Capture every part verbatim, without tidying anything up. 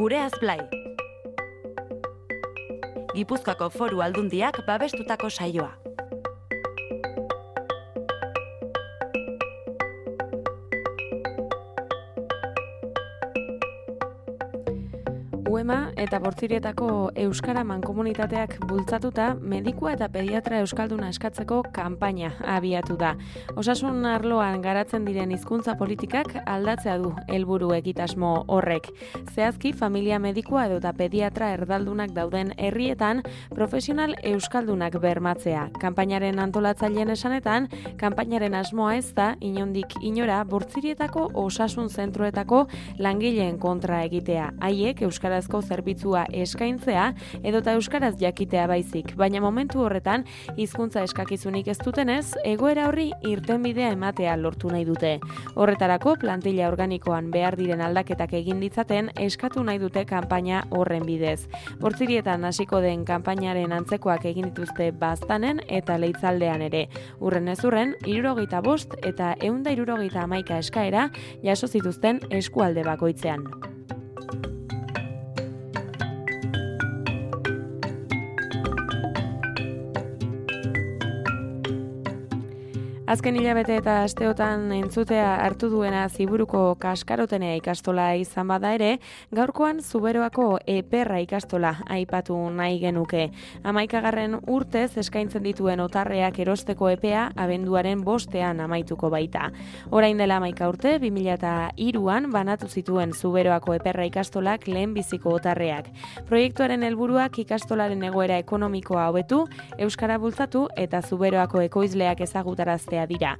Gureaz Blai. Gipuzkoako Foru Aldundiak babestutako saioa. Uema eta Bortzirietako Euskara Mankomunitateak bultzatuta medikua eta pediatra euskalduna eskatzeko kanpaina abiatu da. Osasun arloan garatzen diren hizkuntza politikak aldatzea du helburu egitasmo horrek. Zehazki, familia medikua edo eta pediatra erdaldunak dauden herrietan profesional euskaldunak bermatzea. Kanpainaren antolatzaileen esanetan, kanpainaren asmoa ez da inondik inora Bortzirietako osasun zentroetako langileen kontra egitea. Haiek euskarazko zerbitzua eskaintzea edota euskaraz jakitea baizik, baina momentu horretan hizkuntza eskakizunik ez dutenez, egoera horri irtenbidea ematea lortu nahi dute. Horretarako plantilla organikoan behar diren aldaketak egin ditzaten eskatu nahi dute kanpaina horren bidez. Bortzirietan hasiko den kanpainaren antzekoak egin dituzte Baztanen eta Leitzaldean ere. Urren ez urren, hirurogeita bost eta ehun eta hirurogeita hamaika eskaera jaso zituzten eskualde bakoitzean. Azken hilabete eta asteotan entzutea hartu duena Ziburuko Kaskarotenea ikastola izan bada ere, gaurkoan Zuberoako Eperra ikastola aipatu nahi genuke. Hamaikagarren urtez eskaintzen dituen otarreak erosteko epea abenduaren bostean amaituko baita. Orain dela hamaika urte, bi mila hiruan banatu zituen Zuberoako Eperra ikastolak lehenbiziko otarreak. Proiektuaren helburuak ikastolaren egoera ekonomikoa hobetu, euskara bultzatu eta Zuberoako ekoizleak ezagutaraztea dira.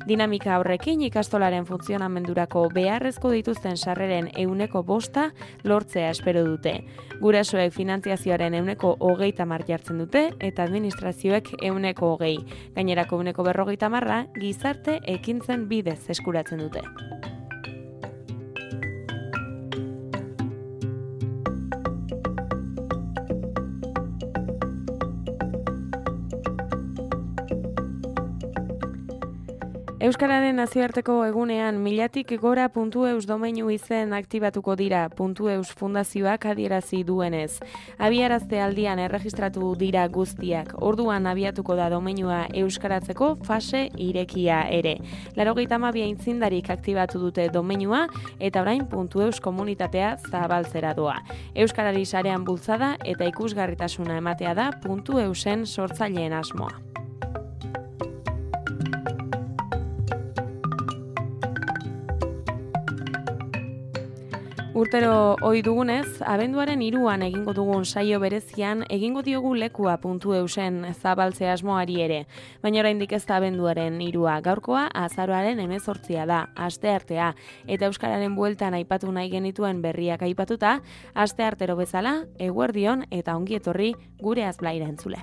Dinamika horrekin ikastolaren funtzionamendurako beharrezko dituzten sarreren ehuneko bosta lortzea espero dute. Gurasoek finantziazioaren ehuneko hogeita hamar jartzen dute eta administrazioek ehuneko hogei. Gainerako ehuneko berrogeita hamarra gizarte ekintzen bidez eskuratzen dute. Euskararen nazioarteko egunean milatik gora puntu eus domeinu izen aktibatuko dira puntu eus fundazioak adierazi duenez. Abiarazte aldian erregistratu dira guztiak, orduan abiatuko da domeinua euskaratzeko fase irekia ere. Laurogeita hamabi aitzindarik aktibatu dute domeinua eta orain puntu eus komunitatea zabaltzera doa. Euskarari sarean bultzada eta ikusgarritasuna ematea da puntu eusen sortzaileen asmoa. Urtero ohi dugunez, abenduaren hiruan egingo dugun saio berezian egingo diogu lekua puntu eusen zabaltze asmoari ere. Baina oraindik ez da abenduaren hirua, gaurkoa azaroaren hemezortzia da, asteartea, eta euskararen bueltan aipatu nahi genituen berriak aipatuta, asteartero bezala, eguerdion eta ongi etorri Gureaz Blaira entzule.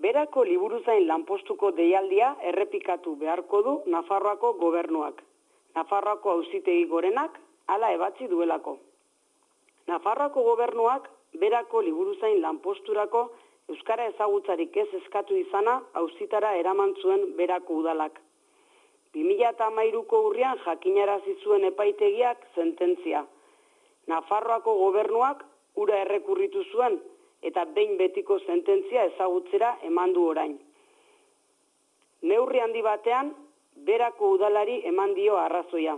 Berako liburuzain lanpostuko deialdia errepikatu beharko du Nafarroako gobernuak. Nafarroako auzitegi gorenak hala ebatzi duelako. Nafarroako gobernuak berako liburuzain lanposturako euskara ezagutzarik ez eskatu izana auzitara eraman zuen berako udalak. bi mila hamairuko urrian jakinarazi zuen epaitegiak sententzia. Nafarroako gobernuak hura errekurritu zuen eta behin betiko sententzia ezagutzera eman du orain. Neurri handi batean, berako udalari eman dio arrazoia,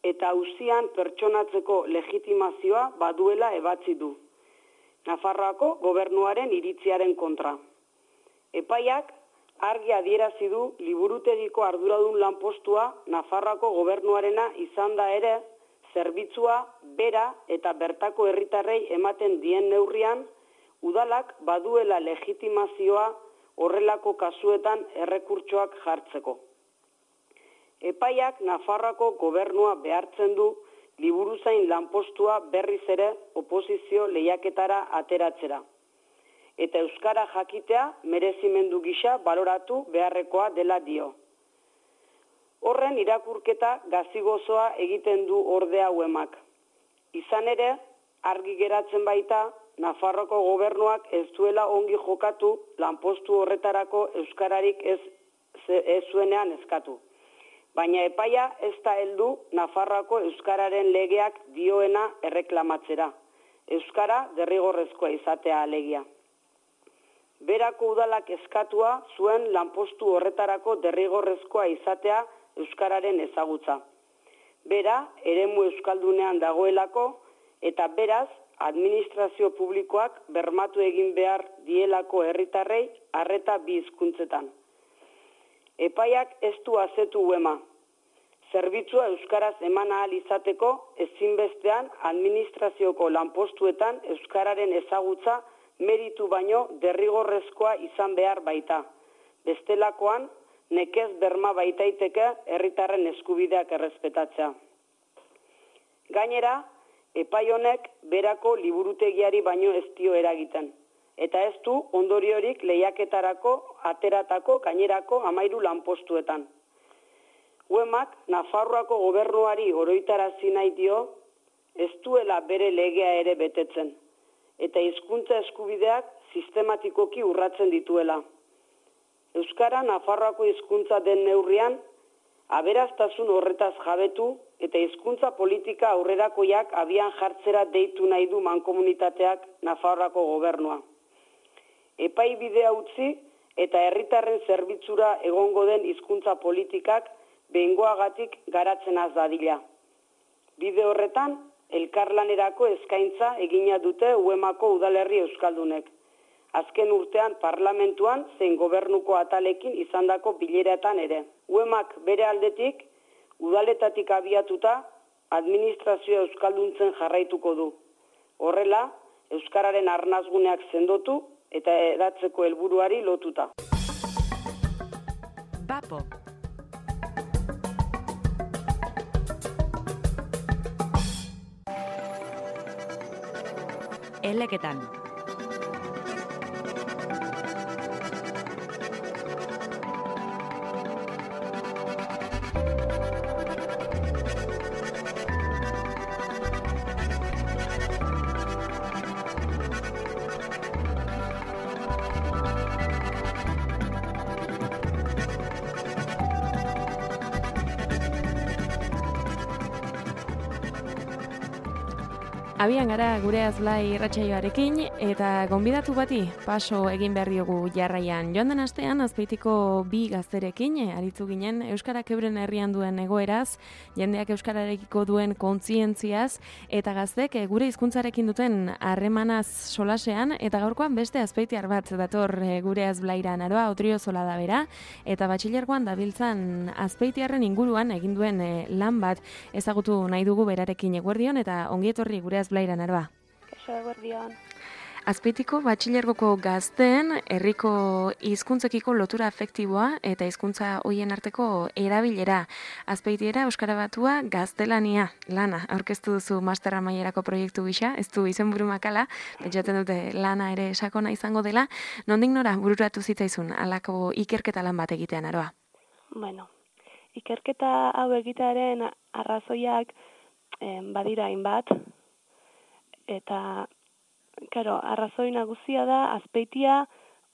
eta auzian pertsonatzeko legitimazioa baduela ebatzi du. Nafarroako gobernuaren iritziaren kontra. Epaiak argi adierazi du liburutegiko arduradun lanpostua Nafarroako gobernuarena izan da ere, zerbitzua bera eta bertako herritarrei ematen dien neurrian, udalak baduela legitimazioa horrelako kasuetan errekurtsoak jartzeko. Epaiak Nafarroako gobernua behartzen du liburuzain lanpostua berriz ere oposizio lehiaketara ateratzera. Eta euskara jakitea merezimendu gisa baloratu beharrekoa dela dio. Horren irakurketa gazigozoa egiten du ordea uemak. Izan ere, argi geratzen baita, Nafarroko gobernuak ez duela ongi jokatu lanpostu horretarako euskararik ez, ez zuenean eskatu. Baina epaia ez da heldu Nafarroako euskararen legeak dioena erreklamatzera. Euskara derrigorrezkoa izatea alegia. Berako udalak eskatua zuen lanpostu horretarako derrigorrezkoa izatea euskararen ezagutza. Bera, eremu euskaldunean dagoelako eta beraz, administrazio publikoak bermatu egin behar dielako herritarrei arreta bi hizkuntzetan. Epaiak ez du azetu uema. Zerbitzua euskaraz eman ahal izateko ezinbestean administrazioko lanpostuetan euskararen ezagutza meritu baino derrigorrezkoa izan behar baita. Bestelakoan, nekez berma baitaiteke herritarren eskubideak errespetatzea. Gainera, epai honek berako liburutegiari baino ez dio eragiten. Eta ez du ondoriorik lehiaketarako, ateratako, gainerako amairu lanpostuetan. Uemak Nafarroako gobernuari oroitarazi nahi dio, ez duela bere legea ere betetzen, eta hizkuntza eskubideak sistematikoki urratzen dituela. Euskara Nafarroako hizkuntza den neurrian, aberastasun horretaz jabetu eta hizkuntza politika aurrerakoiak abian jartzera deitu nahi du mankomunitateak Nafarroako gobernua. Epai bidea utzi eta herritarren zerbitzura egongo den hizkuntza politikak behingoagatik garatzen az dadila. Bide horretan, elkarlanerako eskaintza egina dute Uemako udalerri euskaldunek. Azken urtean parlamentuan zein gobernuko atalekin izandako bileretan ere. Uemak bere aldetik, udaletatik abiatuta, administrazioa euskalduntzen jarraituko du. Horrela, euskararen arnazguneak sendotu eta eratzeko helburuari lotuta. Bapo. Eleketan. Abian gara gure azlai irratsaioarekin eta gonbidatu bati paso egin behar diogu jarraian. Joan den astean Azpeitiko bi gazterekin aritu ginen euskarak euren herrian duen egoeraz, jendeak euskararekiko duen kontzientziaz eta gaztek gure hizkuntzarekin duten harremanaz solasean eta gaurkoan beste azpeitiar bat dator gure azblaira Naroa Otriozola da bera eta batxilergoan dabiltzan azpeitiarren inguruan egin duen lan bat ezagutu nahi dugu berarekin. Eguerdion eta ongietorri gure Blaira Naroa. Kaixo, eguerdion. Azpeitiko batxilergoko gazteen herriko hizkuntzekiko lotura afektiboa eta hizkuntza hoien arteko erabilera. Azpeitiera euskara batua gaztelania lana aurkeztu duzu master amaierako proiektu gisa, ez du izenburu makala, pentsatzen dute lana ere sakona izango dela. Nondik nora bururatu zitzaizun halako ikerketa lan bat egitean, Naroa? Bueno, ikerketa hau egitearen arrazoiak eh, badira hainbat. Eta, karo, arrazoi nagusia da, Azpeitia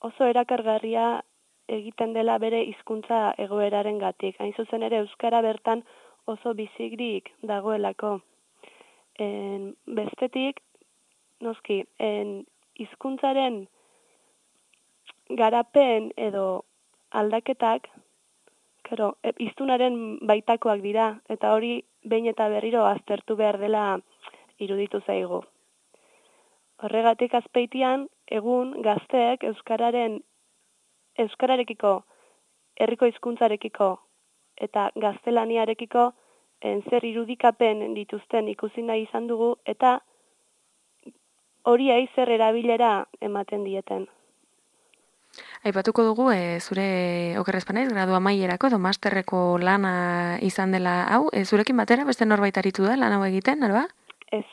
oso erakargarria egiten dela bere hizkuntza egoeraren gatik. Hain zuzen ere, euskara bertan oso bizigrik dagoelako. En, bestetik, noski, en, hizkuntzaren garapen edo aldaketak, karo, hiztunaren baitakoak dira, eta hori behin eta berriro aztertu behar dela iruditu zaigu. Horregatik Azpeitian, egun gazteek euskararen euskararekiko, herriko hizkuntzarekiko eta gaztelaniarekiko en, zer irudikapen dituzten ikusi nahi izan dugu, eta horiei zer erabilera ematen dieten. Aipatuko dugu, e, zure okerrezpanaiz, gradu amaierako edo masterreko lana izan dela hau, e, zurekin batera beste norbait aritu da lan hau egiten, alba? Ez.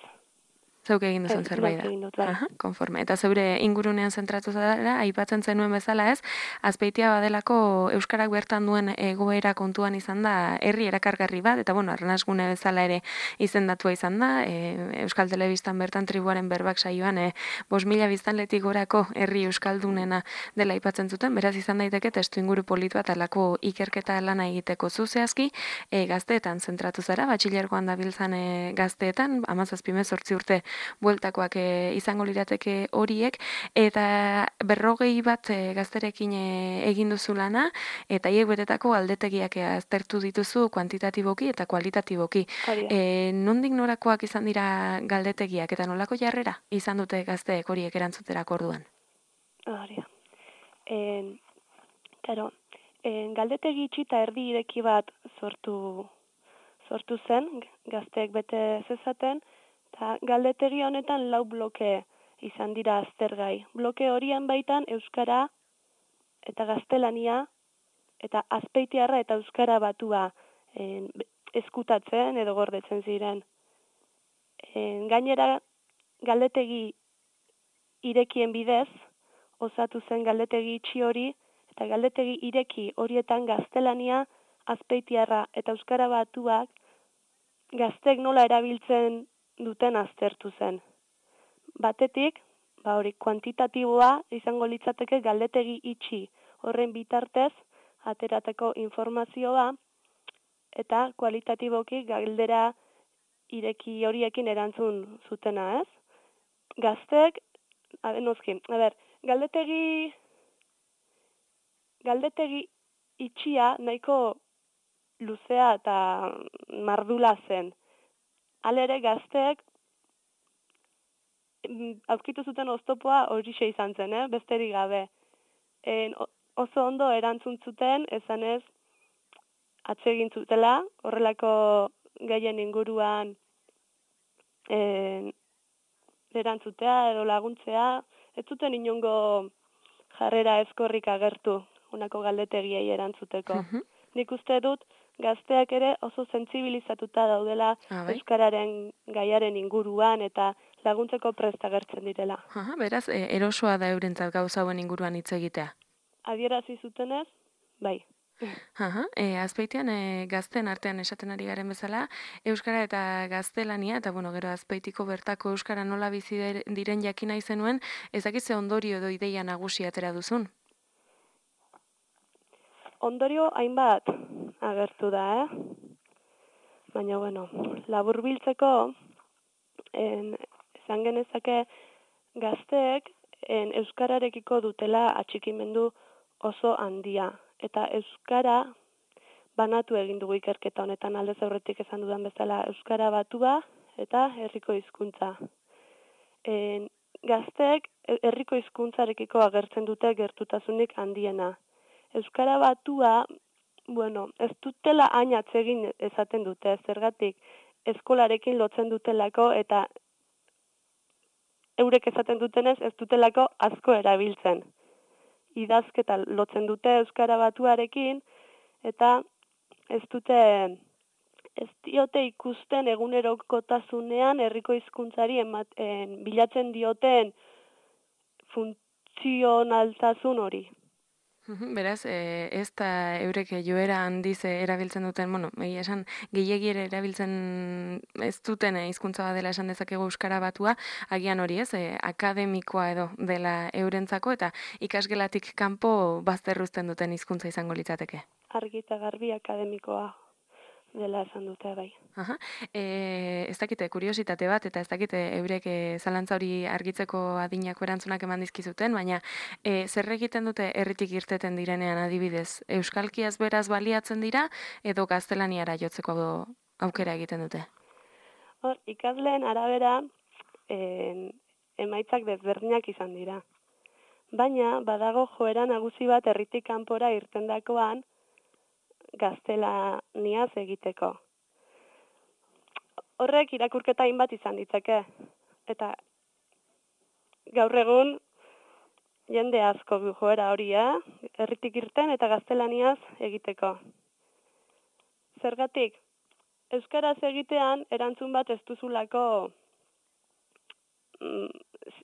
Zeuk egin duzun Ez, zerbait da. neuk egin dut, bai. Aha, konforme. Eta zeure ingurunean zentratu zara, aipatzen zenuen bezala ez, Azpeitia badelako euskarak bertan duen egoera kontuan izan da herri erakargarri bat, eta bueno, arnasgune bezala ere izendatua izan da, e, Euskal Telebistan bertan tribuaren berbak saioan, e, bost mila biztanletik gorako herri euskaldunena dela aipatzen zuten, beraz izan daiteke testu inguru polit bat alako ikerketa lana egiteko zuzehazki, e, gazteetan zentratu zara, batxilergoan dabiltzan e, gazteetan, hamazazpi hemezortzi urte bueltakoak e, izango lirateke horiek, eta berrogei bat e, gazterekin e, egin duzu lana, eta hiek betetako aldetegiak aztertu dituzu kuantitatiboki eta kualitatiboki. E, nondik norakoak izan dira galdetegiak, eta nolako jarrera izan dute gazteek horiek erantzuterako orduan? Hori da. En, claro, en, galdetegi itxi eta erdi ireki bat sortu, sortu zen, gazteek bete zezaten, eta galdetegi honetan lau bloke izan dira aztergai. Bloke horien baitan euskara eta gaztelania eta azpeitiarra eta euskara batua en, eskutatzen edo gordetzen ziren. En, gainera, galdetegi irekien bidez, osatu zen galdetegi itxi hori, eta galdetegi ireki horietan gaztelania, azpeitiarra eta euskara batuak gaztek nola erabiltzen duten aztertu zen. Batetik, ba hori kuantitatiboa izango litzateke galdetegi itxi horren bitartez aterateko informazioa, eta kualitatiboki galdera ireki horiekin erantzun zutena, ez? Gaztek, abenozkin, a ber, galdetegi galdetegi itxia nahiko luzea eta mardula zen. Halere gazteek aurkitu zuten oztopoa horixe izan zen, eh? Besterik gabe. En, oso ondo erantzun zuten, esanez atsegin zutela, horrelako gaien inguruan en, erantzutea edo laguntzea, ez zuten inongo jarrera ezkorrik agertu unako galdetegiei erantzuteko. Uh-huh. Nik uste dut gazteak ere oso sentsibilizatuta daudela euskararen gaiaren inguruan eta laguntzeko prest agertzen direla. Aha, beraz, e, erosoa da eurentzat gauza hauen inguruan hitz egitea. Adierazi zutenez, bai. Aha, e, Azpeitian e, gazten artean esaten ari garen bezala, euskara eta gaztelania, eta bueno, gero Azpeitiko bertako euskara nola bizi diren jakina izenuen, ezakitze ondorio edo ideia nagusi atera duzun? Ondorio hainbat agertu da, eh? Baina, bueno, laburbiltzeko, en, esan genezake gazteek en, euskararekiko dutela atxikimendu oso handia. Eta euskara banatu egin dugu ikerketa honetan aldez aurretik esan dudan bezala euskara batua eta herriko hizkuntza. En, gazteek herriko hizkuntzarekiko agertzen dute gertutasunik handiena. Euskara batua, bueno, ez dutela hain atsegin esaten dute, zergatik eskolarekin lotzen dutelako eta eurek esaten dutenez ez dutelako asko erabiltzen. Idazketa lotzen dute euskara batuarekin eta ez dute ez diote ikusten egunerokotasunean herriko hizkuntzari ematen bilatzen dioten funtzionaltasun hori. Beraz, e, ez da eurek joera handiz erabiltzen duten, bueno, egia esan, gehiegi ere erabiltzen ez duten hizkuntza dela esan dezakegu euskara batua, agian hori ez, e, akademikoa edo dela eurentzako, eta ikasgelatik kanpo bazterruzten duten hizkuntza izango litzateke. Argi eta garbi akademikoa dela esan dute, bai. Aha. E, ez dakite, kuriositate bat, eta ez dakite eurek e, zalantza hori argitzeko adinako erantzunak eman dizkizuten, baina e, zer egiten dute herritik irteten direnean adibidez? Euskalkiaz beraz baliatzen dira, edo gaztelaniara jotzeko aukera egiten dute? Hor, ikasleen arabera en, emaitzak desberdinak izan dira. Baina, badago joera nagusi bat herritik kanpora irtendakoan gaztelaniaz egiteko. horrek irakurketa hainbat izan ditzake. Eta gaur egun jende asko du joera hori, eh? Herritik irten eta gaztelaniaz egiteko. Zergatik, euskaraz egitean erantzun bat ez duzulako,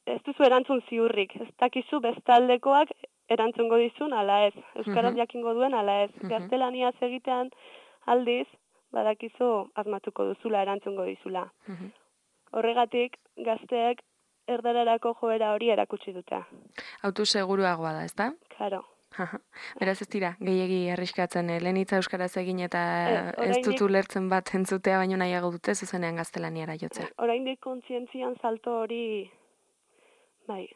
ez duzu erantzun ziurrik. Ez dakizu bestaldekoak erantzungo dizun ala ez. Euskaraz jakingo duen ala ez. Gaztelaniaz egitean aldiz, badakizu asmatuko duzula erantzungo dizula. Horregatik, gazteek erdararako joera hori erakutsi dute. Autu seguruagoa da, ezta? Claro. Beraz ez dira, gehiegi arriskatzen, eh? Lehen hitza euskaraz egin eta Eh, ez dut oraindik- ulertzen bat entzutea, baino nahiago dute zuzenean gaztelaniara jotzea. Oraindik kontzientzian salto hori, bai,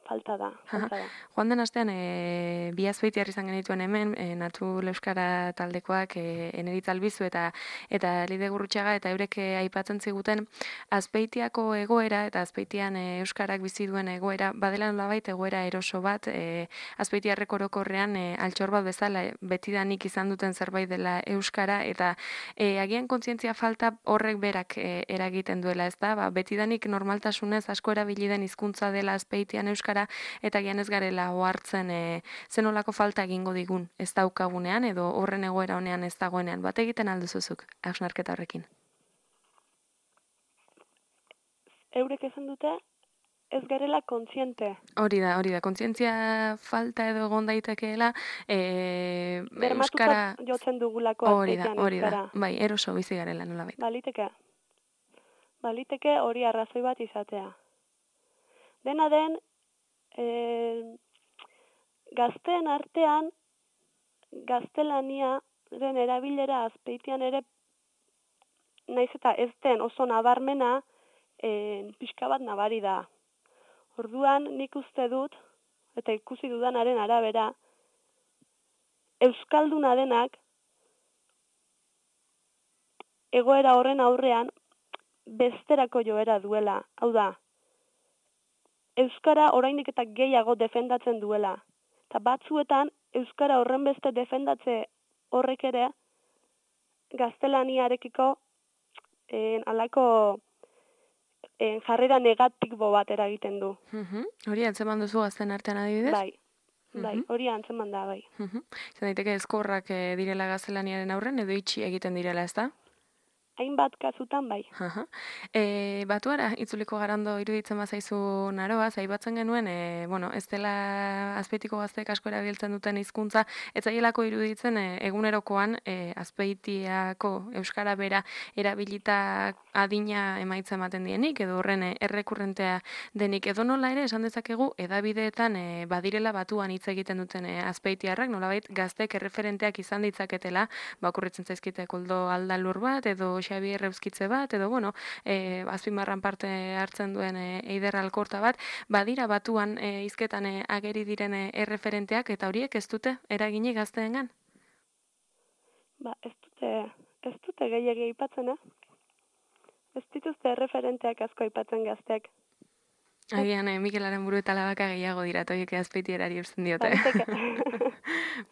falta da, falta da. Joan den astean, e, bi azpeitiar izan genituen hemen, e, Natu Euskara taldekoak, e, Eneritz Albizu eta eta Lide Gurrutxaga, eta eurek e, aipatzen ziguten Azpeitiako egoera eta Azpeitian e, euskarak bizi duen egoera, badela nolabait egoera eroso bat, e, Azpeitiarrek orokorrean e, altxor bat bezala e, betidanik izan duten zerbait dela euskara, eta e, agian kontzientzia falta horrek berak e, eragiten duela, ez da? Ba, betidanik normaltasunez asko erabili den hizkuntza dela Azpeitian euskara, eta gian ez garela ohartzen e, zenolako falta egingo digun ez daukagunean edo horren egoera honean ez dagoenean. Bat egiten alduzuzuk, hausnarketa horrekin. Eurek esan dute, ez garela kontziente. Hori da, hori da, kontzientzia falta edo egon daitekeela e, Bermatuta euskara... jotzen dugulako Hori da, azpeitian hori da, euskara. bai, eroso bizi garela nolabait. Baliteke. Baliteke hori arrazoi bat izatea. Dena den, e, gazteen artean, gaztelaniaren erabilera azpeitian ere, naiz eta ez den oso nabarmena, e, pixka bat nabari da. Orduan nik uste dut, eta ikusi dudanaren arabera, euskalduna denak, egoera horren aurrean, besterako joera duela. Hau da, euskara oraindik eta gehiago defendatzen duela. Eta batzuetan, euskara horren beste defendatze horrek ere, gaztelaniarekiko en, alako en, jarrera negatibo bat eragiten du. Mhm. Hori antzeman duzu gazten artean adibidez? Bai, bai, hori antzeman da, bai. Mhm. Izan daiteke ezkorrak eh, direla gaztelaniaren aurren edo itxi egiten direla, ezta? Hainbat kasutan bai. Aha. E, batuara, itzuliko garando iruditzen bazaizu naroa, zaibatzen genuen, e, bueno, ez dela azpeitiko gazteek asko erabiltzen duten hizkuntza, ez zaielako iruditzen e, egunerokoan e, azpeitiako euskara bera erabilita adina emaitza ematen dienik, edo horren e, errekurrentea denik, edo nola ere esan dezakegu edabideetan e, badirela batuan hitz egiten duten e, azpeitiarrak, nolabait gazteek erreferenteak izan ditzaketela, bakurritzen zaizkite koldo aldalur bat, edo Xabier Euskitze bat, edo, bueno, e, azpimarran parte hartzen duen e, Eider Alkorta bat, badira batuan e, hizketan e, ageri diren e, erreferenteak, eta horiek ez dute eragini gazteengan? Ba, ez dute, ez dute gehiagi aipatzen, eh? Ez dituzte erreferenteak asko aipatzen gazteak. Agian, eh, Mikelaren buru eta labaka gehiago dira, toiek azpeitierari eusten diote.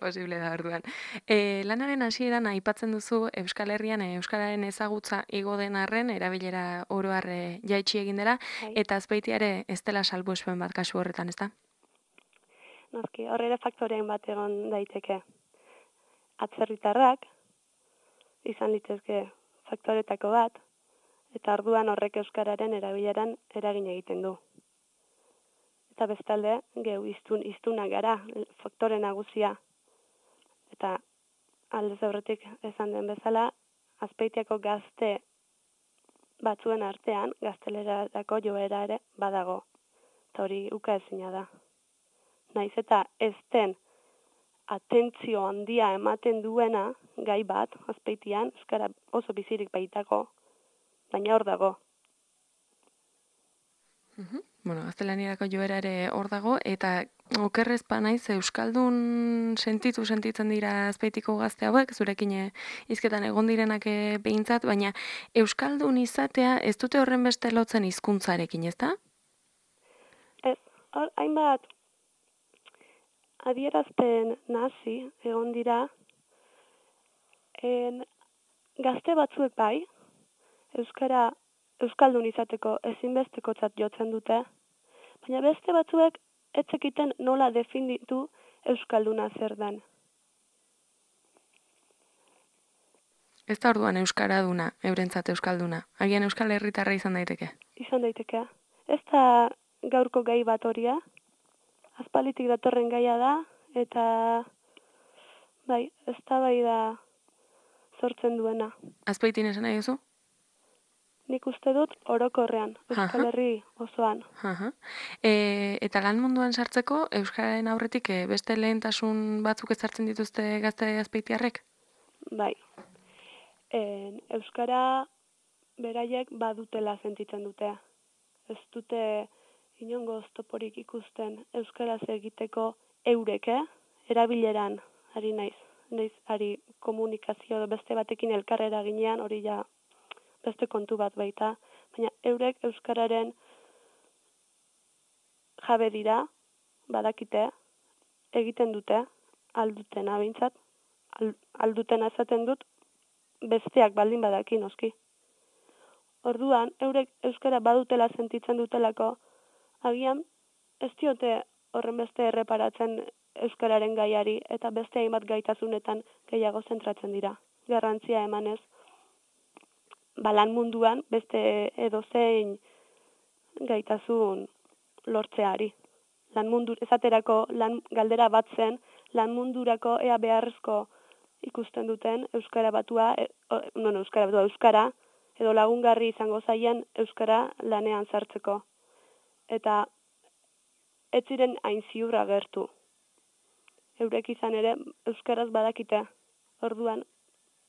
Posible da orduan. E, lanaren hasieran aipatzen duzu Euskal Herrian e, Euskararen ezagutza igo den arren, erabilera oro har e, jaitsi egin dela, Bai. eta azpeitiare ez dela salbuespen bat kasu horretan, ezta? Noski, horre ere faktoreen bat egon daiteke. Atzerritarrak, izan litezke faktoretako bat, eta orduan horrek euskararen erabileran eragin egiten du. Eta bestalde, geu iztun, iztunak gara, faktore nagusia. Eta aldez aurretik esan den bezala, Azpeitiako gazte batzuen artean, gaztelerarako joera ere badago. Eta hori uka ezina da. Naiz eta ez den atentzio handia ematen duena gai bat, Azpeitian, euskara oso bizirik baitako, baina hor dago. Mhm. Bueno, gaztelaniarako joera ere hor dago, eta okerrez pa naiz euskaldun sentitu sentitzen dira Azpeitiko gazte hauek, zurekin eh, hizketan egon direnak eh, behintzat, baina euskaldun izatea ez dute horren beste lotzen hizkuntzarekin, ezta? Ez, hor, hainbat adierazpen nazi egon dira, en, gazte batzuek bai, euskara euskaldun izateko ezinbestekotzat jotzen dute, baina beste batzuek ez zekiten nola definitu euskalduna zer den. Ez da orduan euskaraduna, eurentzat euskalduna. Agian euskal herritarra izan daiteke. Izan daiteke. Ez da gaurko gai bat horia, aspalitik datorren gaia da, eta bai, ez da bai da sortzen duena. Azpeitin esan nahi duzu? Nik uste dut orokorrean, Euskal Herri osoan. Aha. E, eta lan munduan sartzeko, euskararen aurretik e, beste lehentasun batzuk ezartzen dituzte gazte azpeitiarrek? Bai. En, euskara beraiek badutela sentitzen dute. Ez dute inongo oztoporik ikusten euskaraz egiteko eureke, erabileran ari naiz. Naiz ari komunikazio beste batekin elkarrera ginean, hori ja beste kontu bat baita, baina eurek euskararen jabe dira, badakite, egiten dute, aldutena behintzat, aldutena esaten dut, besteak baldin badaki noski. Orduan, eurek euskara badutela sentitzen dutelako, agian ez diote horren beste erreparatzen euskararen gaiari, eta beste hainbat gaitasunetan gehiago zentratzen dira. Garrantzia emanez, balan munduan beste edozein gaitasun lortzeari. Lan mundu, esaterako lan galdera bat zen, lan mundurako ea beharrezko ikusten duten euskara batua, e, no, no, euskara batua, euskara, edo lagungarri izango zaien euskara lanean sartzeko. Eta ez ziren hain ziur agertu. Eurek izan ere euskaraz badakite. Orduan,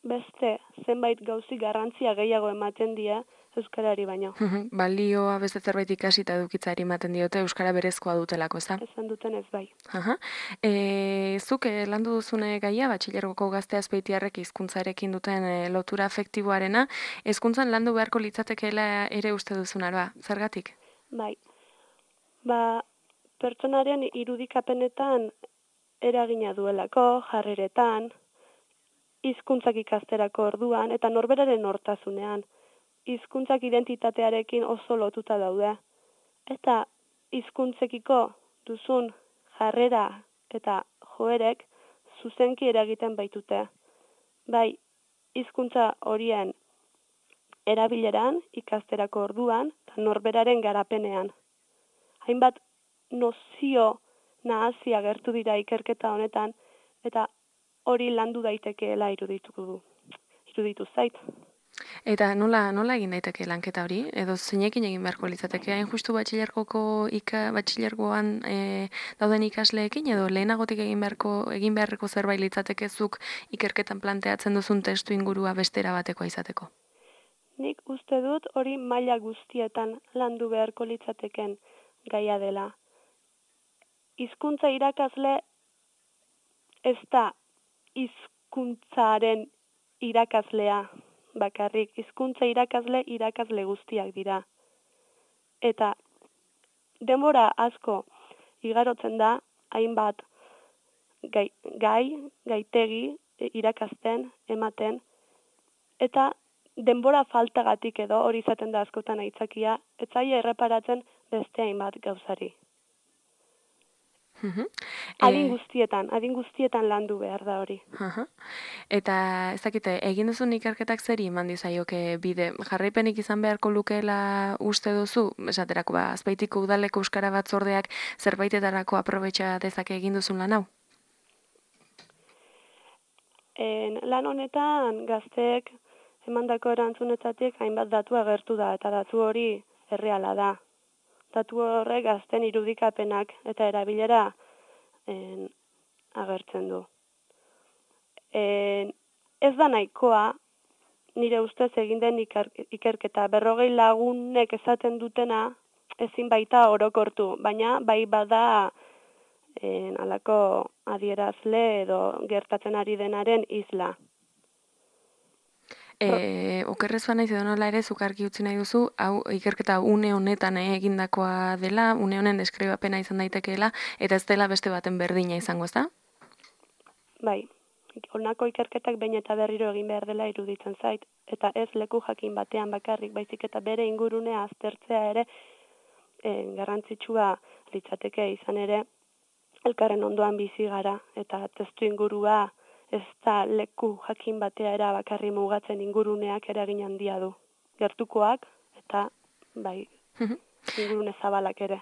beste zenbait gauzi garrantzia gehiago ematen die euskarari baino. Balioa beste zerbait ikasi eta edukitzari ematen diote euskara berezkoa dutelako, ez da? Esan duten ez bai. Aha. E, zuk eh, landu duzune gaia, batxilergoko gazte azpeitiarrek hizkuntzarekin duten eh, lotura afektiboarena, hezkuntzan landu beharko litzatekeela ere uste duzun aroa, zergatik? Bai. Ba, pertsonaren irudikapenetan eragina duelako, jarreretan, hizkuntzak ikasterako orduan, eta norberaren hortasunean. Hizkuntzak identitatearekin oso lotuta daude. Eta hizkuntzekiko duzun jarrera eta joerek zuzenki eragiten baitute. Bai, hizkuntza horien erabileran, ikasterako orduan, eta norberaren garapenean. Hainbat nozio nahazia gertu dira ikerketa honetan, eta hori landu daitekeela irudituko du. Iruditu zait. Eta nola nola egin daiteke lanketa hori? Edo zeinekin egin beharko litzateke? Hain justu batxilergoko ika batxilergoan e, dauden ikasleekin edo lehenagotik egin beharko egin beharreko zerbait litzatekezuk ikerketan planteatzen duzun testu ingurua bestera batekoa izateko? Nik uste dut hori maila guztietan landu beharko litzateken gaia dela. Hizkuntza irakasle ez da hizkuntzaren irakaslea bakarrik. Hizkuntza irakasle irakasle guztiak dira. Eta denbora asko igarotzen da hainbat gai, gai gaitegi irakasten, ematen, eta denbora faltagatik edo hori izaten da askotan aitzakia, ez zaie erreparatzen beste hainbat gauzari. Uh-huh. Adin guztietan, adin guztietan landu behar da hori. Uh-huh. Eta ez dakite, egin duzun ikerketak zeri eman dizaioke bide, jarraipenik izan beharko lukeela uste duzu, esaterako ba, Azpeitiko udaleko euskara batzordeak zerbaitetarako aprobetxa dezake egin duzun lan hau? En, lan honetan gazteek emandako erantzunetatik hainbat datu agertu da, eta datu hori erreala da. Datu horrek gazten irudikapenak eta erabilera en, agertzen du. En, ez da nahikoa, nire ustez egin den iker, ikerketa, berrogei lagunek esaten dutena ezin baita orokortu, baina bai bada en, alako adierazle edo gertatzen ari denaren isla. E, okerrezuan naiz edo nola ere zukarki utzi nahi duzu, hau ikerketa une honetan eh, egindakoa dela, une honen deskribapena izan daitekeela, eta ez dela beste baten berdina izango, ez da? Bai, honako ikerketak behin eta berriro egin behar dela iruditzen zait, eta ez leku jakin batean bakarrik, baizik eta bere ingurunea aztertzea ere e, garrantzitsua litzateke izan ere, elkarren ondoan bizi gara, eta testu ingurua ez da leku jakin batea era bakarri mugatzen inguruneak eragin handia du. Gertukoak eta bai ingurune zabalak ere.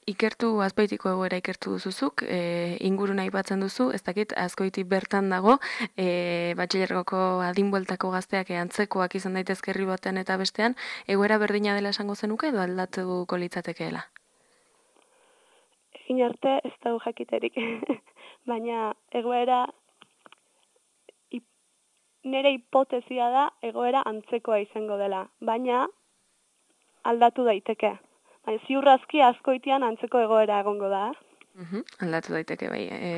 Ikertu Azpeitiko egoera ikertu duzuzuk, e, inguruna aipatzen duzu, ez dakit Azkoiti bertan dago, e, batxilergoko adinbueltako gazteak antzekoak izan daitezke herri batean eta bestean, egoera berdina dela esango zenuke edo aldatuko litzatekeela? Egin arte ez dago jakiterik, baina egoera, ip, nire hipotezia da egoera antzekoa izango dela, baina aldatu daiteke. Ziurrazki Azkoitian antzeko egoera egongo da. Uhum, aldatu daiteke bai. E,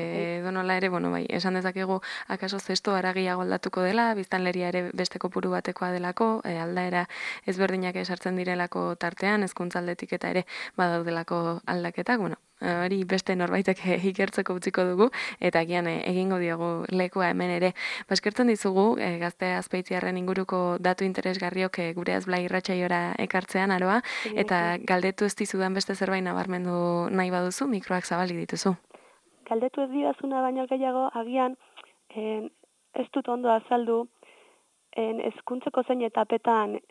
donola ere, bueno, bai, esan dezakegu akaso zesto aragiago aldatuko dela, biztanleria ere beste kopuru batekoa delako, e, aldaera ezberdinak esartzen direlako tartean, hezkuntza aldetik eta ere badaudelako aldaketak, bueno, hori beste norbaitek ikertzeko utziko dugu, eta agian egingo diogu lekua hemen ere. Baskertzen dizugu, e, gazte Azpeitiarren inguruko datu interesgarriok e, gure azblai irratsaiora ekartzean aroa, eta galdetu ez dizudan beste zerbait nabarmendu nahi baduzu, mikroak zabalik dituzu. Galdetu ez didazuna baino gehiago, agian en, ez dut ondo azaldu, en, hezkuntzako zein etapetan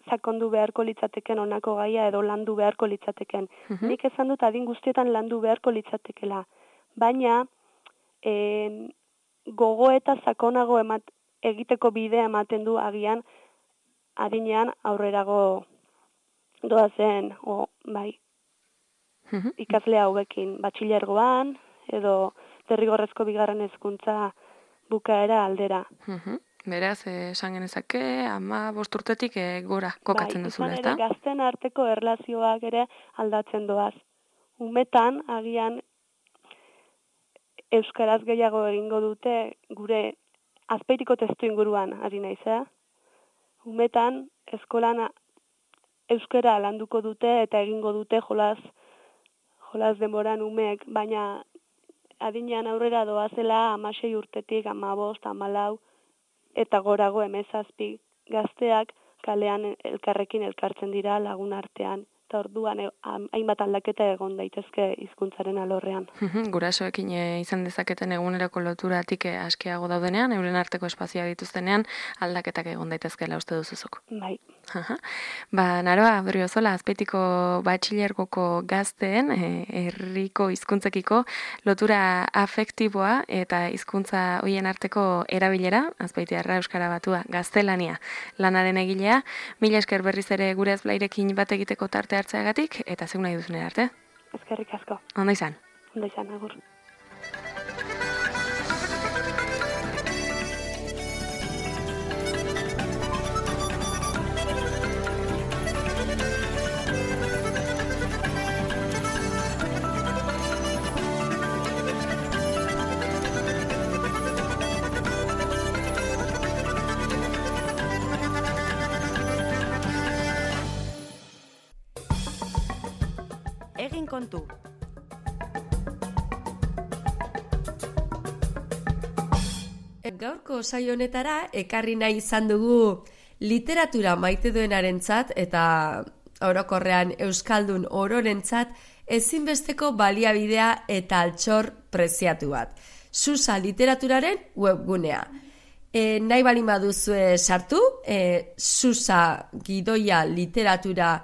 sakondu beharko litzateken honako gaia edo landu beharko litzateken. Uh-huh. Nik esan dut adin guztietan landu beharko litzatekela. Baina en, gogo eta sakonago emat, egiteko bidea ematen du agian adinean aurrerago doazen, o, bai, uh-huh. ikasle hauekin batxilergoan edo derrigorrezko bigarren hezkuntza bukaera aldera. Uh-huh. Beraz, esan genezake, ama bosturtetik e, gora kokatzen bai, duzula, ezta? Bai, gazten arteko erlazioak ere aldatzen doaz. Umetan, agian, euskaraz gehiago egingo dute gure Azpeitiko testu inguruan, ari naiz, eh? Umetan, eskolan euskara landuko dute eta egingo dute jolas, jolas denboran umeek, baina adinean aurrera doazela hamasei urtetik, hamabost, hamalau, eta gorago hemezazpi gazteak kalean elkarrekin elkartzen dira lagun artean. Eta orduan hainbat aldaketa egon daitezke hizkuntzaren alorrean. Gurasoekin izan dezaketen eguneroko loturatik askeago daudenean, euren arteko espazioa dituztenean aldaketak egon daitezkeela uste duzuzuk. Bai. Ba, Naroa, Berriozola, Azpeitiko batxilergoko gazteen herriko hizkuntzekiko lotura afektiboa eta hizkuntza hoien arteko erabilera, azpeitiarra euskara batua, gaztelania lanaren egilea, mila esker berriz ere gure azblairekin bat egiteko tarte hartzeagatik, eta zeun nahi duzune arte. Eskerrik asko. Ondo izan. Ondo izan, agur. Egin kontu. Gaurko saio honetara ekarri nahi izan dugu literatura maite duenarentzat eta orokorrean euskaldun ororentzat ezinbesteko baliabidea eta altxor preziatu bat. Susa literaturaren webgunea. E, nahi bali baduzue sartu, e, susa gidoia literatura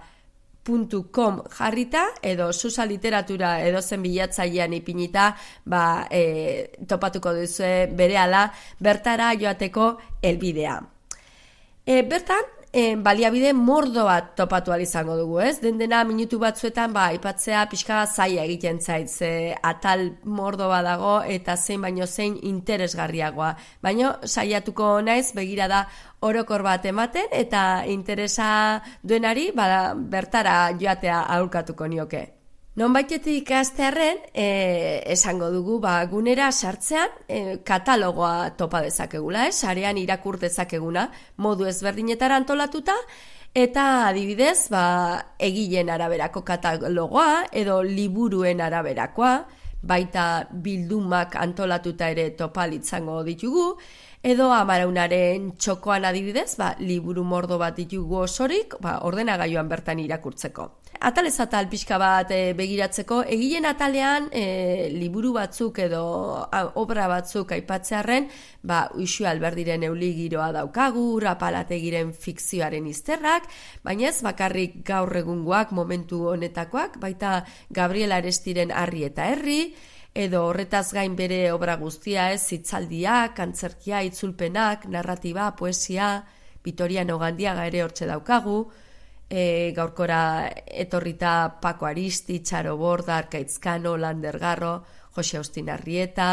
puntu com jarrita edo susa literatura edozen bilatzailean ipinita ba, e, topatuko duzue berehala bertara joateko helbidea. E, bertan, e, baliabide mordo bat topatu ahal izango dugu, ez? Den dena minutu batzuetan ba, aipatzea pixka zaila egiten zait, ze atal mordo bat dago eta zein baino zein interesgarriagoa. Baino saiatuko naiz begirada orokor bat ematen eta interesa duenari ba, bertara joatea aholkatuko nioke. Nonbaitetik hastearren, e, esango dugu ba, gunera sartzean e, katalogoa topa dezakegula, eh? Sarean irakur dezakeguna, modu ezberdinetara antolatuta, eta adibidez, ba, egileen araberako katalogoa, edo liburuen araberakoa, baita bildumak antolatuta ere topalitzango ditugu, edo Amaraunaren txokoan adibidez, ba, liburu mordo bat ditugu osorik, ba, ordenagailuan bertan irakurtzeko. Atalez atal pixka bat e, begiratzeko, egileen atalean e, liburu batzuk edo a, obra batzuk aipatzearren, ba, Uxue Alberdiren Euli giroa daukagu, Rapalategiren fikzioaren izterrak, baina ez bakarrik gaur egungoak momentu honetakoak, baita Gabriel Arestiren Harri eta Herri, edo horretaz gain bere obra guztia ez, hitzaldiak, antzerkia, itzulpenak, narratiba, poesia, Vitoriano Gandiaga ere hortxe daukagu, e, gaurkora etorrita Paco Aristi, Txaro Borda, Arkaitzkano, Lander Garro, Jose Austin Arrieta,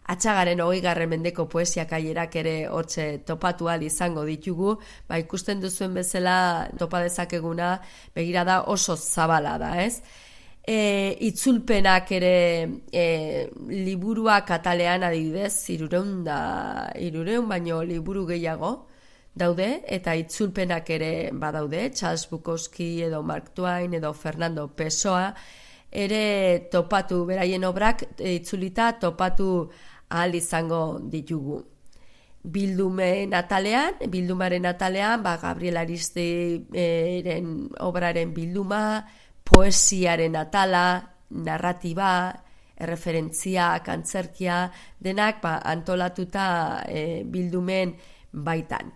Atxagaren hogeigarren mendeko poesia kailerak ere hortxe topatu ahal izango ditugu, ba ikusten duzuen bezala topa dezakeguna begirada oso zabala da, ez? E, itzulpenak ere e, liburuak atalean adibidez, irureun da, irureun baino liburu gehiago daude, eta itzulpenak ere badaude, Charles Bukowski edo Mark Twain edo Fernando Pessoa, ere topatu, beraien obrak itzulita topatu ahal izango ditugu. Bildumen atalean, bildumaren atalean, ba, Gabriel Aristiden obraren bilduma, poesiaren atala, narratiba, erreferentziak, antzerkia, denak ba, antolatuta e, bildumen baitan.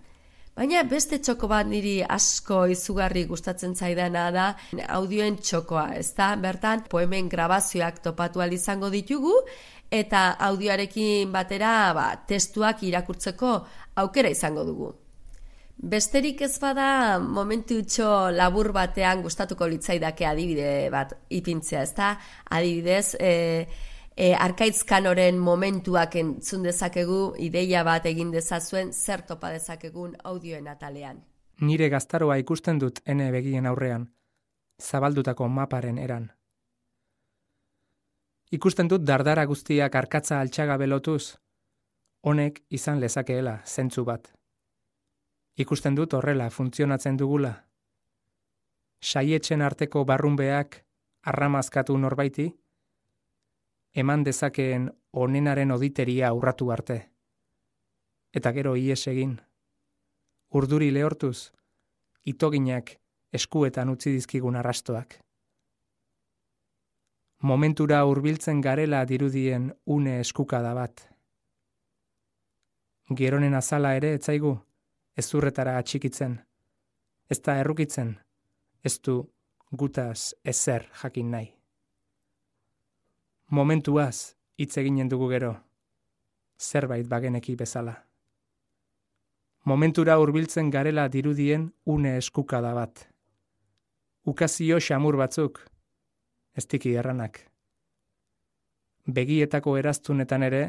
Baina beste txoko bat niri asko izugarri gustatzen zaidana da audioen txokoa, ezta? Bertan poemen grabazioak topatu ahal izango ditugu eta audioarekin batera ba, testuak irakurtzeko aukera izango dugu. Besterik ez bada momentutxo labur batean gustatuko litzaidake adibide bat ipintzea, ezta? Adibidez, e, e, Arkaitzkanoren momentuak entzun dezakegu, ideia bat egin dezazuen zer topa dezakegun audioen atalean. Nire gaztaroa ikusten dut ene begien aurrean, zabaldutako maparen eran. Ikusten dut dardara guztiak arkatza altxaga belotuz, honek izan lezakeela zentzu bat. Ikusten dut horrela funtzionatzen dugula. Saietzen arteko barrunbeak arramazkatu norbaiti, eman dezakeen onenaren oditeria urratu arte. Eta gero ies egin. Urduri lehortuz, itoginak eskuetan utzi dizkigun arrastoak. Momentura hurbiltzen garela dirudien une eskukada bat. Geronen azala ere etzaigu, ezurretara atxikitzen, ez da errukitzen, ez du gutaz ezer jakin nahi. Momentuaz hitz eginen dugu gero, zerbait bageneki bezala. Momentura hurbiltzen garela dirudien une eskukada bat. Ukazio xamur batzuk, ez tiki erranak. Begietako eraztunetan ere,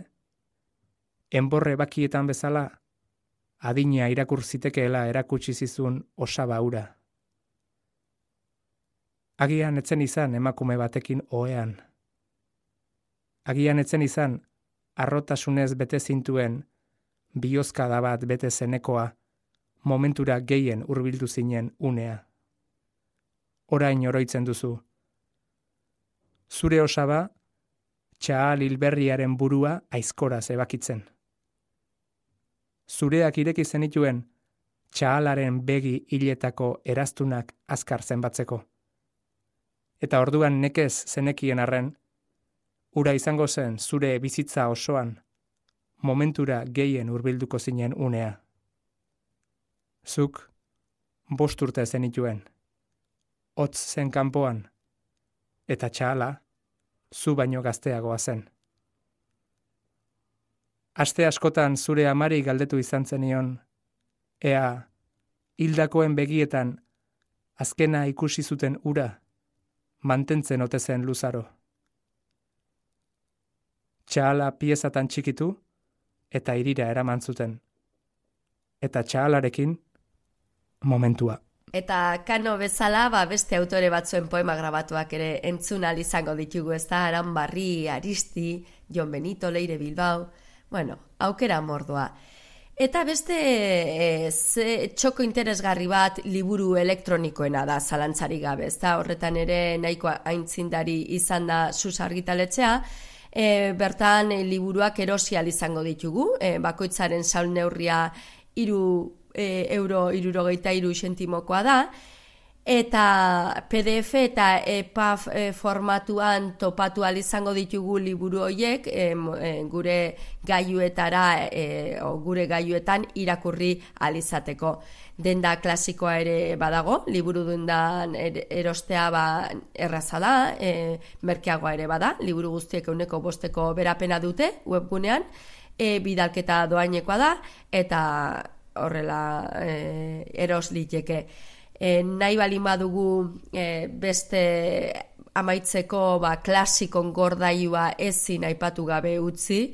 enborre bakietan bezala, adina irakur zitekeela erakutsi zizun osaba hura. Agian etzen izan emakume batekin ohean. Agian etzen izan arrotasunez bete zintuen bihozkada bat bete zenekoa momentura gehien hurbildu zinen unea. Orain oroitzen duzu. Zure osaba, txahal hilberriaren burua aizkora zebakitzen. Zureak ireki zenituen txahalaren begi hiletako eraztunak azkar zenbatzeko. Eta orduan nekez zenekien arren, ura izango zen zure bizitza osoan, momentura gehien hurbilduko zinen unea. Zuk bost urte zenituen, hotz zen kanpoan, eta txahala zu baino gazteagoa zen. Aste askotan zure amari galdetu izan zenion, ea, hildakoen begietan, azkena ikusi zuten ura, mantentzen ote zen luzaro. Txahala piezatan txikitu, eta irira eraman zuten. Eta txahalarekin, momentua. Eta Kano bezala, ba, beste autore batzuen poema grabatuak ere entzun ahal izango ditugu, ez da, Aranbarri, Aristi, Jon Benito, Leire Bilbao, bueno, aukera mordoa. Eta beste e, ze, txoko interesgarri bat liburu elektronikoena da, zalantzari gabe, ezta horretan ere nahiko aintzindari izan da Sus argitaletxea, e, bertan e, liburuak erosi ahal izango ditugu, e, bakoitzaren saul neurria iru e, euro irurogeita iru sentimokoa da, eta P D F eta E P A B e, formatuan topatu ahal izango ditugu liburu horiek e, e, gure gailuetara e, o gure gailuetan irakurri ahal izateko. Denda klasikoa ere badago, liburu dendan er, erostea ba, erraza da, e, merkeagoa ere bada, liburu guztiek ehuneko bosteko berapena dute webgunean, e, bidalketa doainekoa da, eta horrela e, eros liteke. E, nahi balin badugu e, beste amaitzeko ba, klasikon gordailua ezin aipatu gabe utzi,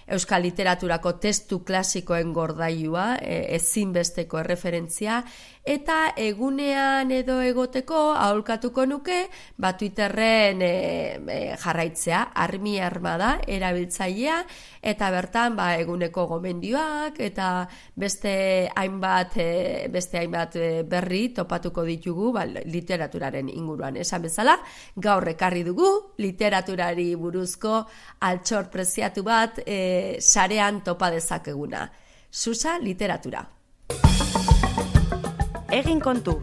euskal literaturako testu klasikoen gordailua, e, ezinbesteko erreferentzia, eta egunean edo egoteko aholkatuko nuke, ba Twitterren e, e, jarraitzea, armi armada erabiltzailea, eta bertan ba, eguneko gomendioak, eta beste hainbat, e, beste hainbat e, berri topatuko ditugu ba, literaturaren inguruan. Esan bezala, gaur ekarri dugu literaturari buruzko altxor preziatu bat e, sarean topa dezakeguna. Susa literatura. Egin kontu.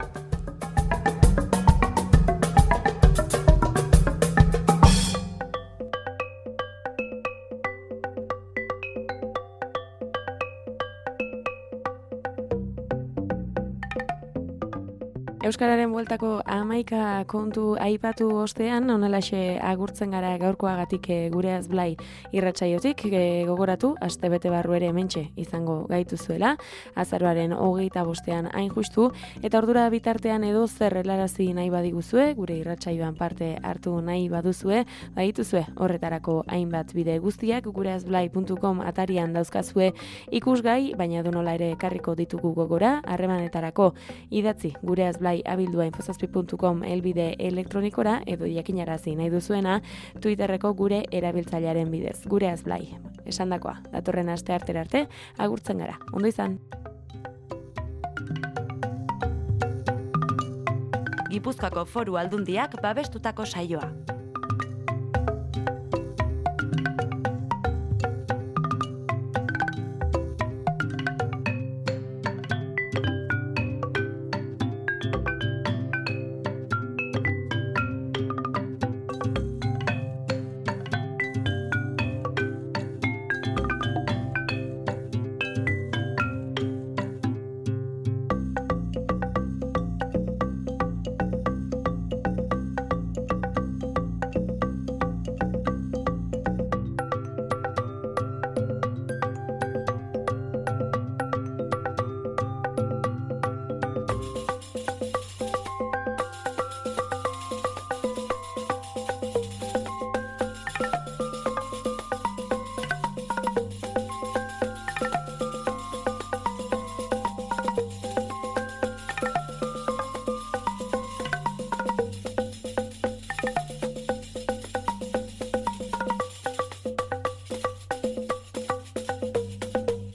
Euskararen bueltako hamaika kontu aipatu ostean, honelaxe agurtzen gara gaurkoagatik Gureaz Blai irratsaiotik, e, gogoratu, astebete barru ere hementxe izango gaituzuela, azaroaren hogeita bostean hain justu, eta ordura bitartean edo zer helarazi nahi badiguzue, gure irratsaioan parte hartu nahi baduzue, badituzue horretarako hainbat bide guztiak, gureazblai puntu com atarian dauzkazue ikusgai, baina donola ere ekarriko ditugu gogora, harremanetarako idatzi gureazblai abildua infozazpi puntu com elbide elektronikora edo jakinarazi nahi duzuena Twitterreko gure erabiltzailearen bidez. Gureaz Blai. Esandakoa, datorren aste artera arte, agurtzen gara. Ondo izan. Gipuzkoako Foru Aldundiak babestutako saioa.